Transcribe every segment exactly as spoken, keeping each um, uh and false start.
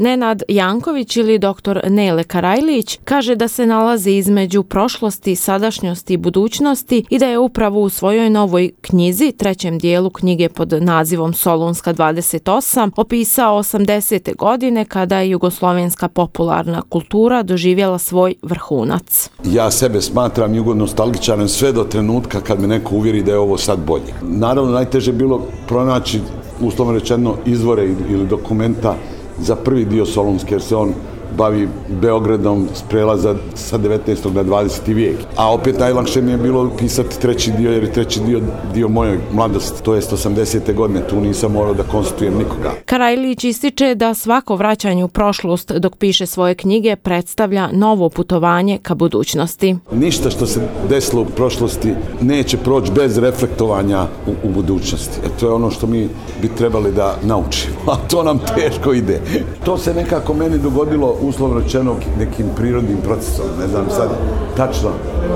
Nenad Janković ili doktor Nele Karajlić kaže da se nalazi između prošlosti, sadašnjosti i budućnosti i da je upravo u svojoj novoj knjizi, trećem dijelu knjige pod nazivom Solunska dvadeset osam, opisao osamdesete godine kada je jugoslovenska popularna kultura doživjela svoj vrhunac. Ja sebe smatram jugonostalgičarom sve do trenutka kad me neko uvjeri da je ovo sad bolje. Naravno, najteže je bilo pronaći, uslovno rečeno, izvore ili dokumenta za prvi dio Solunske, jer se on bavi Beogradom s prelaza sa devetnaestog na dvadeseti vijek. A opet najlakše mi je bilo pisati treći dio, jer je treći dio dio moje mladosti, to jest osamdesete godine, tu nisam morao da konstitujem nikoga. Karajlić ističe da svako vraćanje u prošlost dok piše svoje knjige predstavlja novo putovanje ka budućnosti. Ništa što se desilo u prošlosti neće proći bez reflektovanja u, u budućnosti. E, to je ono što mi bi trebali da naučimo, a to nam teško ide. To se nekako meni dogodilo uslovno rečeno nekim prirodnim procesom, ne znam sad tačno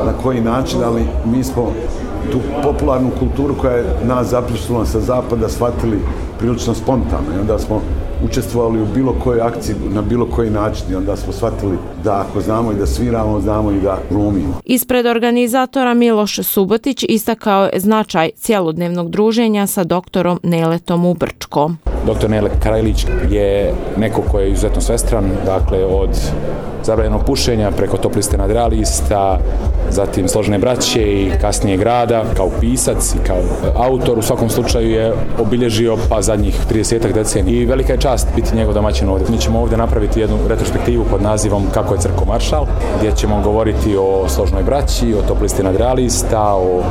na koji način, ali mi smo tu popularnu kulturu koja je nas zaprisnula sa zapada shvatili prilično spontano i onda smo učestvovali u bilo kojoj akciji na bilo koji način i onda smo shvatili da ako znamo i da sviramo, znamo i da glumimo. Ispred organizatora Miloš Subotić istakao je značaj cjelodnevnog druženja sa doktorom Neletom u Brčko. Doktor Nele Karajlić je neko koji je izuzetno svestran, dakle od zabranjenog pušenja preko Top liste nadrealista, zatim Složene braće i kasnije Grada, kao pisac i kao autor. U svakom slučaju je obilježio pa zadnjih tridesetak decenija i velika je čast biti njegov domaćin ovdje. Mi ćemo ovdje napraviti jednu retrospektivu pod nazivom Kako je crko maršal, gdje ćemo govoriti o Složnoj braći, o Top listi nadrealista, o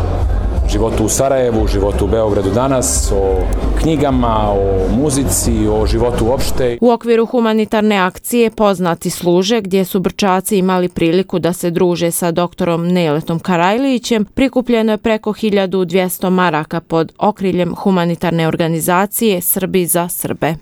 životu u Sarajevu, životu u Beogradu danas, o knjigama, o muzici, o životu uopšte. U okviru humanitarne akcije Poznati služe, gdje su Brčaci imali priliku da se druže sa doktorom Neletom Karajlićem, prikupljeno je preko hiljadu dvjesto maraka pod okriljem humanitarne organizacije Srbi za Srbe.